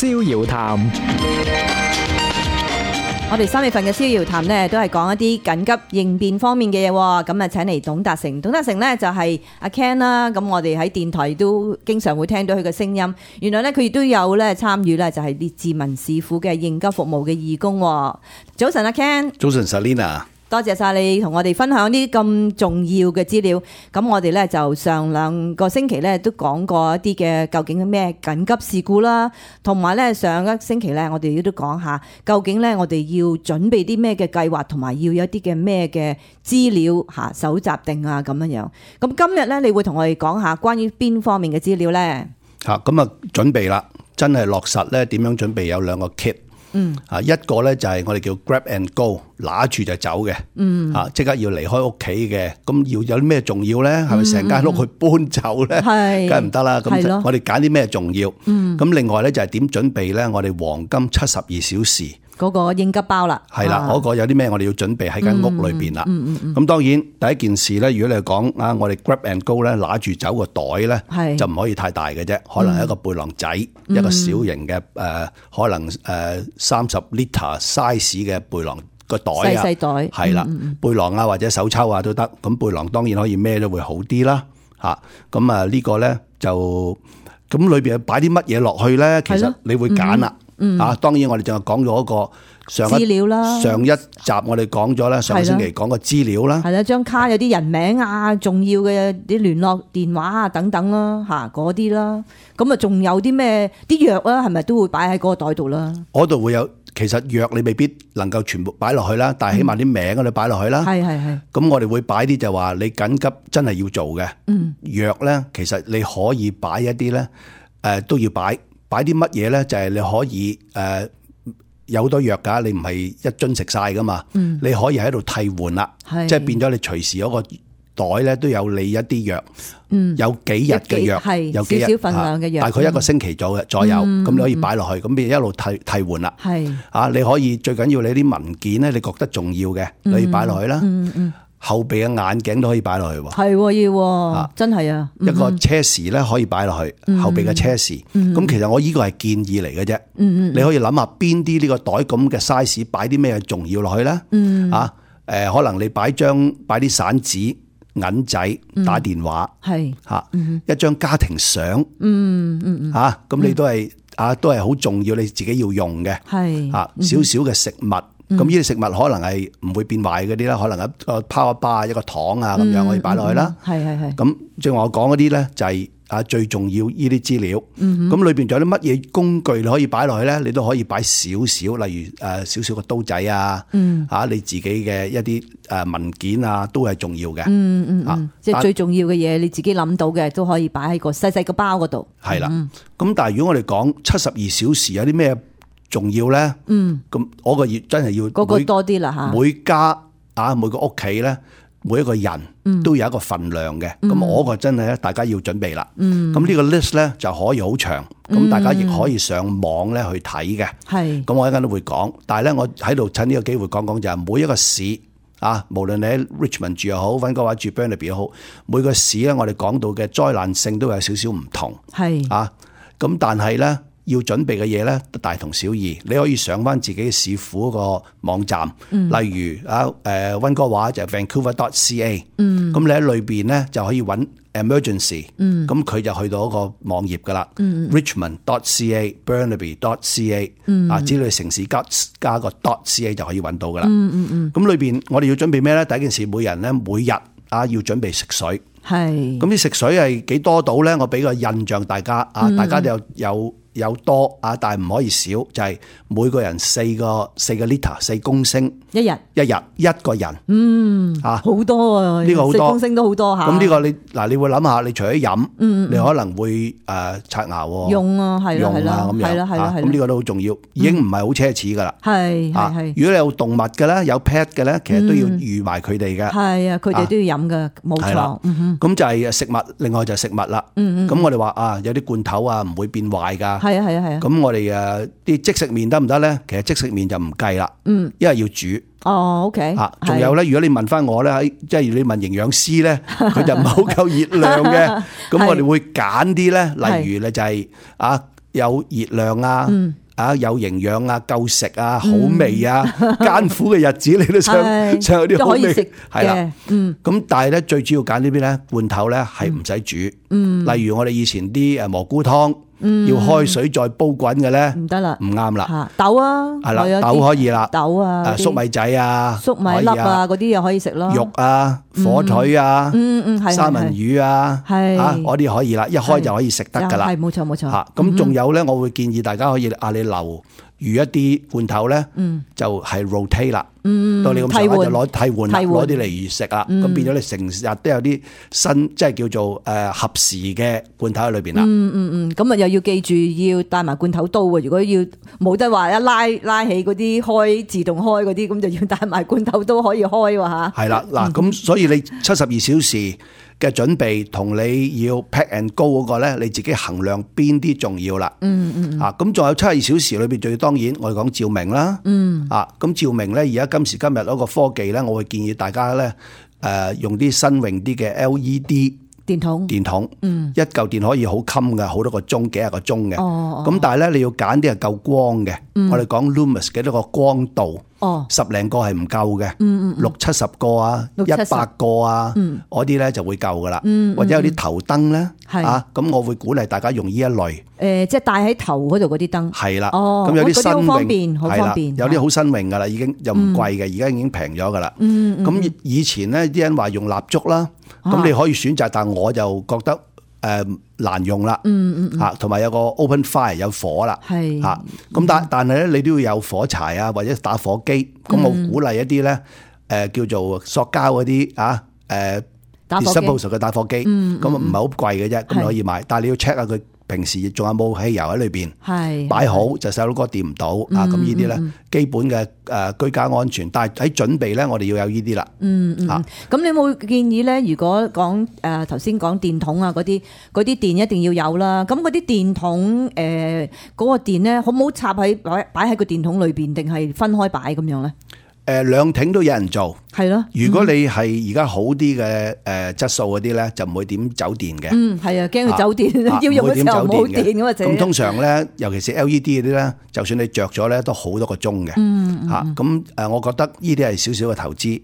逍遙談。我哋3月份嘅逍遙談呢，都係講一啲緊急應變方面嘅嘢喎。咁啊，請嚟董達成。董達成呢，就係阿 Ken 啦。咁我哋喺電台都經常會聽到佢嘅聲音。原來呢，佢亦都有咧參與咧，就係列治文市府嘅應急服務嘅義工。早晨，阿 Ken。早晨 ，Selina。多謝晒你同我哋分享啲咁重要嘅資料。咁我哋咧就上2個星期咧都講過一啲嘅究竟咩緊急事故啦，同埋咧上一星期咧我哋亦都講下究竟咧我哋要準備啲咩嘅計劃，同埋要有一啲嘅咩嘅資料嚇搜集定啊咁樣樣。咁今日咧你會同我哋講下關於邊方面嘅資料咧？咁啊準備啦，真係落實咧點樣準備有2個 kit。一個咧就係我哋叫 grab and go， 拿住就走嘅，即刻要離開屋企嘅，咁要有啲咩重要咧？係咪成間屋去搬走咧？梗係唔得啦。咁我哋揀啲咩重要？咁另外咧就係點準備咧？我哋黃金72小時嗰個應急包啦，係啦，嗰個有啲咩我哋要準備喺間屋裏邊啦。咁當然第一件事咧，如果你係講啊，我哋 grab and go 咧，拿住走個袋咧，就唔可以太大嘅啫，可能係一個背囊仔，一個小型嘅可能30 litre size 嘅背囊個袋啊，細袋係啦，背囊啊或者手抽啊都得。咁背囊當然可以孭都會好啲啦。咁啊呢個咧就咁裏邊擺啲乜嘢落去咧？其實你會揀啦。當然我哋淨係講咗一個資料啦。上一集我哋講咗咧，上個星期講個資料啦。係啦，張卡有啲人名啊，重要嘅啲聯絡電話啊等等啦，嗰啲啦。咁啊，仲有啲咩啲藥啊，係咪都會擺喺嗰個袋度啦？嗰度會有，其實藥你未必能夠全部擺落去啦，但係起碼啲名嗰度擺落去啦。係。咁我哋會擺啲就話你緊急真係要做嘅。藥咧，其實你可以擺一啲咧，都要擺啲乜嘢咧？就係你可以有好多藥㗎，你唔係一樽食晒㗎嘛。你可以喺度替換啦，即係變咗你隨時嗰個袋咧都有你一啲藥，有幾日嘅藥，有幾日少少份量嘅藥，大概1個星期左右，咁你可以擺落去，咁變一路替換啦。你可以最緊要你啲文件咧，你覺得重要嘅，你可以擺落去啦。後備嘅眼鏡都可以擺落去喎，係要真係啊！一個車匙咧可以擺落去，後備嘅車匙。咁其實我呢個係建議嚟嘅啫。你可以諗下邊啲呢個袋咁嘅 size 擺啲咩重要落去咧？可能你擺啲散紙、銀仔、打電話，一張家庭相，咁你都係好重要，你自己要用嘅。少少嘅食物。咁呢啲食物可能係唔會變壞嗰啲啦，可能一個power bar、一個糖啊咁樣可以擺落去啦。係。咁正話我講嗰啲咧就係最重要呢啲資料。咁裏邊仲有啲乜嘢工具你可以擺落去咧？你都可以擺少少，例如少少個刀仔啊，你自己嘅一啲文件啊都係重要嘅。即係最重要嘅嘢，你自己諗到嘅都可以擺喺個細細個包嗰度。係啦。咁但係如果我哋講72小時有啲咩重要咧，咁我個月真係要嗰個多啲啦吓。每家每個屋企咧，每一個人都有一個份量嘅。咁我個真係咧，大家要準備啦。咁呢個 list 咧就可以好長，咁大家亦可以上網咧去睇嘅。係。咁我一陣都會講，但係咧我喺度趁呢個機會講講就係每一個市無論你喺 Richmond 住又好，溫哥華住 Burnaby 又好，每個市咧我哋講到嘅災難性都有少少唔同。係。咁但係咧，要準備嘅嘢咧，大同小異。你可以上翻自己市府個網站，例如溫哥華就 Vancouver.ca，咁你喺裏邊咧就可以揾 emergency，咁佢就去到一個網頁噶啦。Richmond.ca、Burnaby.ca，只要你城市加個 .ca 就可以揾到噶啦。咁裏邊我哋要準備咩咧？第一件事，每人咧每日要準備食水。係。咁啲食水係幾多到咧？我俾個印象大家大家就有多但係唔可以少，就係每個人4個 liter 4公升一日一個人。好多啊！呢個好多4公升都好多嚇。咁呢個你會諗下，你除咗飲，你可能會刷牙用係啦咁樣。咁呢個都好重要，已經唔係好奢侈噶啦。係。如果你有動物嘅咧，有 pet 嘅咧，其實都要預埋佢哋嘅。係啊，佢哋都要飲嘅，冇錯。咁就係食物，另外就係食物啦。咁我哋話有啲罐頭唔會變壞㗎。係啊。咁我哋啲即食麵得唔得咧？其實即食麵就唔計啦，因為要煮。OK。仲有咧，如果你問翻我咧，即係你問營養師咧，佢就唔係好夠熱量嘅。咁我哋會揀啲咧，例如咧就係有熱量啊，有營養啊，夠食啊，好味啊，艱苦嘅日子你都想有啲好味，係啦。咁但係咧最主要揀呢邊咧罐頭咧係唔使煮。例如我哋以前啲蘑菇湯。要開水再煲滾嘅咧，唔得啦，唔啱啦。豆啊，係啦，豆可以啦，豆啊，粟米仔啊，粟米粒啊，嗰啲又可以食咯。肉啊，火腿啊，三文魚啊，嗰啲可以啦，一開就可以食得噶啦。係冇錯冇錯。咁仲有咧，我會建議大家可以你留餘一啲罐頭咧，就係 rotate 啦。到你咁上下就攞替換啦，攞啲嚟食啦。咁變咗你成日都有啲新，即係叫做合時嘅罐頭喺裏邊啦。咁啊又要記住要帶埋罐頭刀啊！如果要冇得話一拉起嗰啲開自動開嗰啲，咁就要帶埋罐頭刀可以開喎嚇。係啦，嗱咁所以你72小時嘅準備同你要 pack and go 嗰個咧，你自己衡量邊啲重要啦。咁仲有72小時裏邊，最當然我哋講照明啦。咁照明咧，而家今時今日嗰個科技咧，我會建議大家咧用啲新穎啲嘅 LED。電筒，一嚿電可以好襟嘅，好多個鐘，幾廿個鐘嘅。咁但係咧，你要揀啲係夠光嘅。我哋講 lumens 幾多個光度，10零個係唔夠嘅，60-70個啊，100個啊，嗰啲咧就會夠噶啦。或者有啲頭燈咧，咁我會鼓勵大家用呢一類。即係戴喺頭嗰度嗰啲燈。係啦，咁有啲新穎，好方便，有啲好新穎噶啦，已經又唔貴嘅，而家已經平咗噶啦。咁以前咧，啲人話用蠟燭啦。咁你可以選擇，但我就覺得難用啦，同埋有個 open fire 有火啦，咁但係咧你都要有火柴啊，或者打火機。咁我鼓勵一啲咧叫做塑膠嗰啲disposable 嘅打火機，咁唔係好貴嘅啫，咁你可以買，但係你要 check 下佢平時仲有冇汽油喺裏邊，擺好就細佬哥掂唔到啊！咁呢啲咧基本嘅居家安全，但係喺準備咧，我哋要有呢啲啦。咁你有冇建議咧？如果講頭先講電筒啊嗰啲電一定要有啦。咁嗰啲電筒嗰個電咧，好唔好插喺擺喺個電筒裏邊，定係分開擺咁樣咧？兩挺都有人做，係咯。如果你係而家好啲嘅質素嗰啲咧，就唔會點走電嘅。係啊，驚佢走電，要用嘅時候冇電咁啊！咁通常咧，尤其是 LED 嗰啲咧，就算你着咗咧，都好多個鐘嘅。咁我覺得呢啲係少少嘅投資。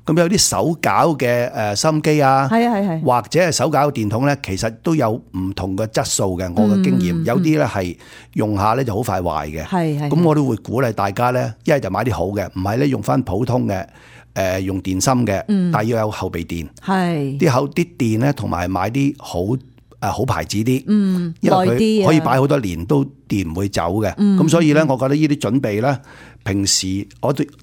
咁有啲手攪嘅收音機啊，或者係手攪嘅電筒咧，其實都有唔同嘅質素嘅。我嘅經驗有啲咧係用下咧就好快壞嘅。咁我都會鼓勵大家咧，一係就買啲好嘅，唔係咧用翻普通嘅用電芯嘅，但係要有後備電。啲電咧，同埋買啲好牌子啲，因為佢可以擺好多年都電唔會走嘅。咁所以咧，我覺得呢啲準備咧，平時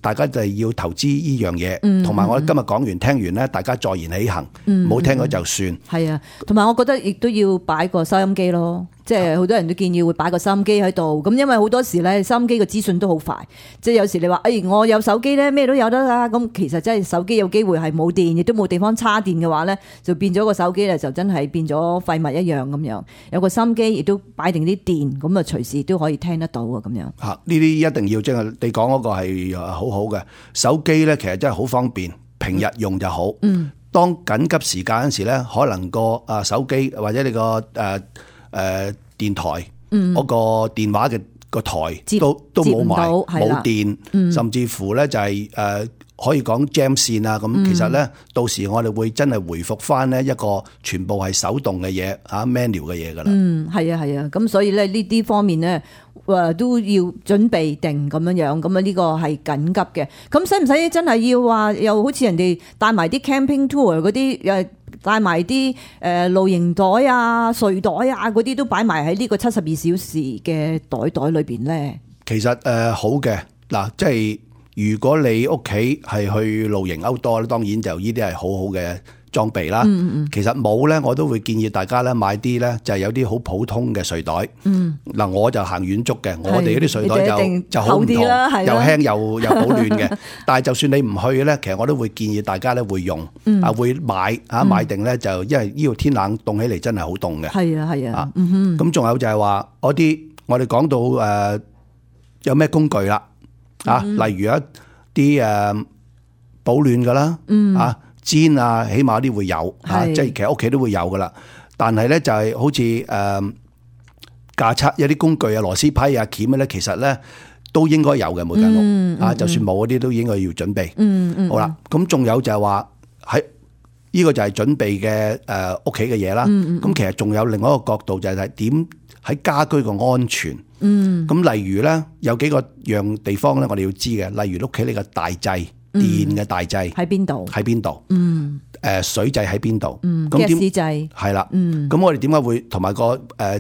大家就係要投資呢樣嘢，同埋我今日講完聽完咧，大家坐言起行，唔好聽咗就算。係啊，同埋我覺得亦都要擺個收音機咯。即係好多人都建議會擺個收音機喺度，咁因為好多時咧收音機嘅資訊都好快，即係有時你話我有手機咧咩都有得啦，咁其實真係手機有機會係冇電，亦都冇地方插電嘅話咧，就變咗個手機咧就真係變咗廢物一樣咁樣。有個收音機亦都擺定啲電，咁啊隨時都可以聽得到啊咁樣。呢啲一定要，即係你講嗰個係好好嘅手機咧，其實真係好方便，平日用就好。當緊急時間嗰時咧，可能個手機或者你個電台嗰個電話嘅個台都冇埋冇電，甚至乎咧就係可以講 jam 線啊咁。其實咧到時我哋會真係回復翻呢一個全部係手動嘅嘢manual 嘅嘢噶啦。係啊，咁所以咧呢啲方面咧都要準備定咁樣樣，咁啊呢個係緊急嘅。咁使唔使真係要話又好似人哋帶埋啲 camping tour 嗰啲帶埋啲露營袋啊、睡袋啊嗰啲都擺埋喺呢個72小時嘅袋裏邊咧？其實好嘅嗱，即係如果你屋企係去露營 outdoor咧，當然就呢啲係好好嘅裝備啦。其實冇咧，我都會建議大家咧買啲咧就係有啲好普通嘅睡袋。嗱，我就行遠足嘅，我哋嗰啲睡袋就好唔同，又輕又保暖嘅。但係就算你唔去咧，其實我都會建議大家咧會用會買定咧，就因為呢度天冷凍起嚟真係好凍嘅。係啊。咁仲有就係話嗰啲我哋講到有咩工具啦。例如一啲保暖噶啦，氈啊，起碼啲會有，即係其實屋企都會有噶啦。但係咧就係好似架測有啲工具啊、螺絲批啊、鉗咧，其實咧都應該有嘅每間屋就算冇嗰啲都應該要準備。好啦，咁仲有就係話喺呢個就係準備嘅屋企嘅嘢啦。咁其實仲有另外一個角度就係點喺家居嘅安全。咁例如咧有幾個樣地方咧，我哋要知嘅，例如屋企呢個大掣。電嘅大掣喺邊度？喺邊度？水掣喺邊度？咁電掣係啦。咁我哋點解會同埋個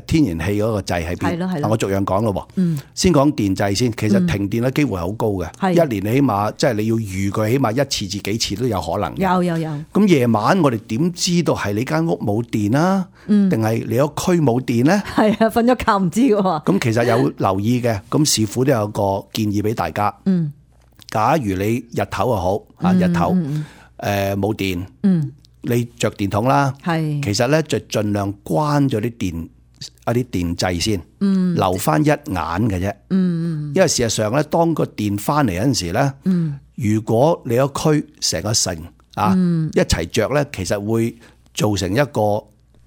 天然氣嗰個掣喺邊？係咯。我逐樣講咯。先講電掣先。其實停電嘅機會係好高嘅。一年你起碼即係你要預佢起碼1次至幾次都有可能嘅。有。咁夜晚我哋點知道係你間屋冇電啊？定係你個區冇電咧？係啊，瞓咗覺唔知嘅喎。咁其實有留意嘅。咁師傅都有個建議俾大家。假如你日頭又好日頭冇電，你着電筒啦，其實咧就盡量關咗啲電掣先，留翻一眼嘅啫。因為事實上咧，當個電翻嚟嗰陣時咧，如果你個區成個城一齊着咧，其實會造成一個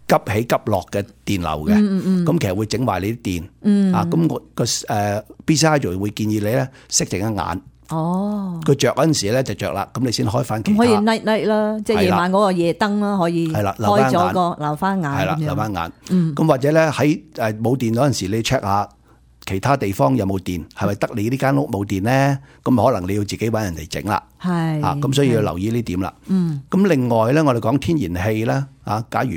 急起急落嘅電流嘅。咁其實會整壞你啲電咁我個BCI 就會建議你咧熄淨一眼。佢着嗰陣時咧就着啦，咁你先開翻其他。可以 night 啦，即係夜晚嗰個夜燈啦，可以開咗個留翻眼。係啦，留翻眼。咁或者咧喺冇電嗰陣時，你 check 下其他地方有冇電，係咪得你呢間屋冇電咧？咁可能你要自己揾人嚟整啦。係咁所以要留意呢點啦。咁另外咧，我哋講天然氣咧假如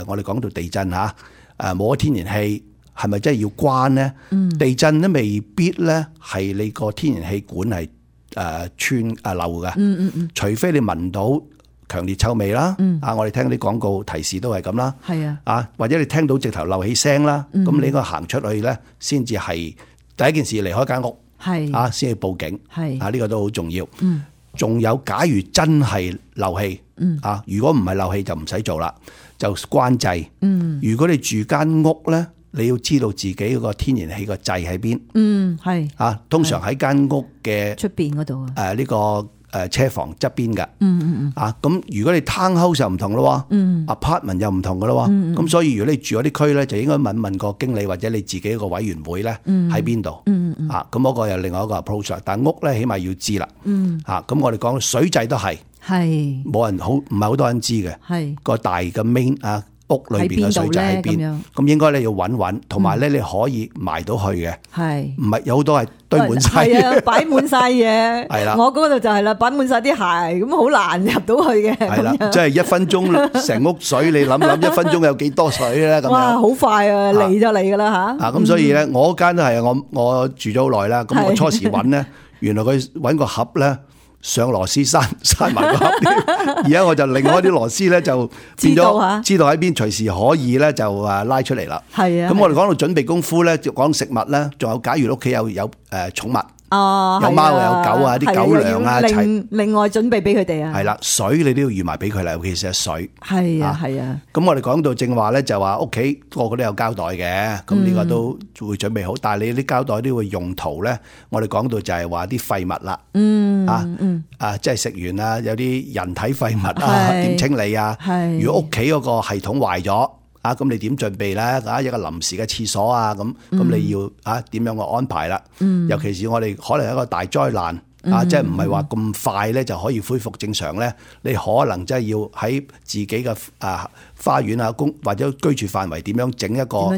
我哋講到地震冇咗天然氣。係咪真係要關咧？地震咧未必咧係你個天然氣管係穿漏嘅。除非你聞到強烈臭味啦。我哋聽啲廣告提示都係咁啦。係或者你聽到直頭漏氣聲啦，咁你應該行出去咧，先至係第一件事離開間屋。先去報警。呢個都好重要。仲有，假如真係漏氣如果唔係漏氣就唔使做啦，就關掣。如果你住間屋咧，你要知道自己嗰個天然氣個掣喺邊。通常喺間屋嘅出邊嗰度呢個車房側邊嘅。咁如果你 townhouse 就唔同咯，apartment 又唔同噶咯。咁所以如果你住嗰啲區咧，就應該問個經理或者你自己個委員會咧喺邊度。咁嗰個又另外一個 approach。但屋咧起碼要知啦。咁我哋講水掣都係冇人唔係好多人知嘅。個大嘅 main 屋裏邊嘅水掣喺邊？咁應該你要揾，同埋咧你可以埋到去嘅。唔係有好多係堆滿晒嘢，擺滿晒嘢。係啦，我嗰度就係啦，擺滿晒啲鞋，咁好難入到去嘅。係啦，即係1分鐘成屋水，你諗1分鐘有幾多水咧？咁樣哇，好快啊，嚟就嚟噶啦吓。咁所以咧，我間都係我住咗好耐啦。咁我初時揾咧，原來佢揾個盒咧。上螺絲閂埋個盒，而家我就另外啲螺絲咧就變咗知道喺邊，隨時可以咧就拉出嚟啦。咁我哋講到準備功夫咧，就講食物咧，仲有假如屋企有寵物。有貓有狗啲狗糧啊，另外準備俾佢哋啊。係啦，水你都要預埋俾佢啦，尤其是係水。係啊。咁我哋講到正話咧，就話屋企個個都有膠袋嘅，咁呢個都會準備好。但係你啲膠袋都會用途咧，我哋講到就係話啲廢物啦。即係食完啊，有啲人體廢物點清理啊？如果屋企嗰個系統壞咗。咁你點準備咧？一個臨時嘅廁所咁你要點樣個安排啦？尤其是我哋可能一個大災難即係唔係話咁快咧就可以恢復正常咧？你可能真係要喺自己嘅花園或者居住範圍點樣整一個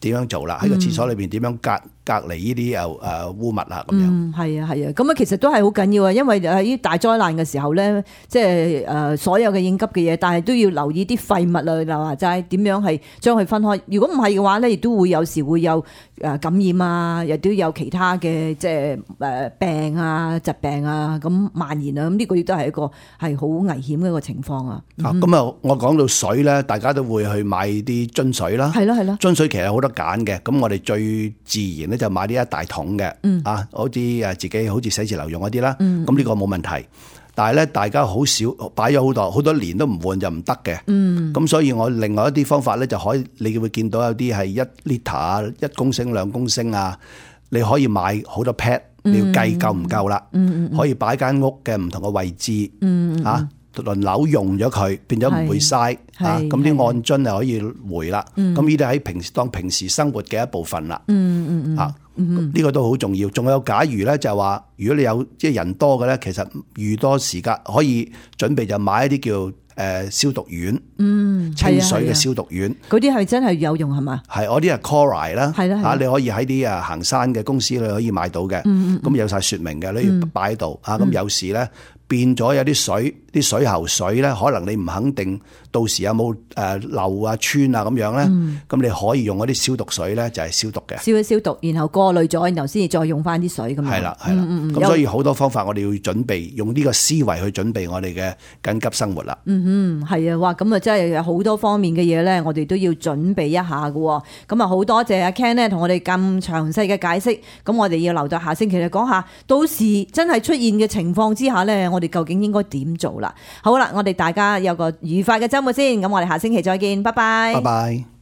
點樣做啦？喺個廁所裏邊點樣隔離呢啲污物咁樣。係啊。咁其實都係好緊要啊，因為喺大災難嘅時候咧，即係所有嘅應急嘅嘢，但係都要留意啲廢物啊，就話齋點樣係將佢分開。如果唔係嘅話咧，亦都會有時會有感染啊，亦都有其他嘅即係病啊、疾病啊咁蔓延啊。咁呢個亦都係一個係好危險嘅一個情況啊。咁我講到水咧，大家都會去買啲樽水啦。係咯。樽水其實好多揀嘅，咁我哋最自然咧就買呢一大桶嘅。好似自己好似寫字樓用嗰啲啦。咁呢個冇問題。但係咧，大家好少擺咗好多年都唔換就唔得嘅。咁所以我另外一啲方法咧就可以，你會見到有啲係1 litre 1公升2公升你可以買好多 pad，你要計夠唔夠啦。可以擺間屋嘅唔同嘅位置輪流用咗佢，變咗唔會嘥啊！咁啲按樽就可以回啦。咁呢啲喺平時生活嘅一部分啦。呢個都好重要。仲有假如咧就係話，如果你有即係人多嘅咧，其實預多時間可以準備就買一啲叫消毒丸，清水嘅消毒丸。嗰啲係真係有用係嘛？係，嗰啲係 Cori 啦，你可以喺啲行山嘅公司你可以買到嘅。咁有晒說明嘅，你要擺喺度啊。咁有時咧變咗有啲水喉水咧，可能你唔肯定到時有冇漏啊穿啊咁樣咧，咁你可以用嗰啲消毒水咧，就係消毒嘅，消一消毒，然後過濾咗，然後先至再用翻啲水咁樣。係啦，咁所以好多方法我哋要準備，用呢個思維去準備我哋嘅緊急生活啦。係啊，哇！咁啊真係有好多方面嘅嘢咧，我哋都要準備一下嘅。咁啊好多謝阿 Ken 咧同我哋咁詳細嘅解釋。咁我哋要留到下星期嚟講下，到時真係出現嘅情況之下咧，我哋究竟應該點做啦？好啦，我哋大家有個愉快嘅週末先。咁我哋下星期再見，拜拜。拜拜。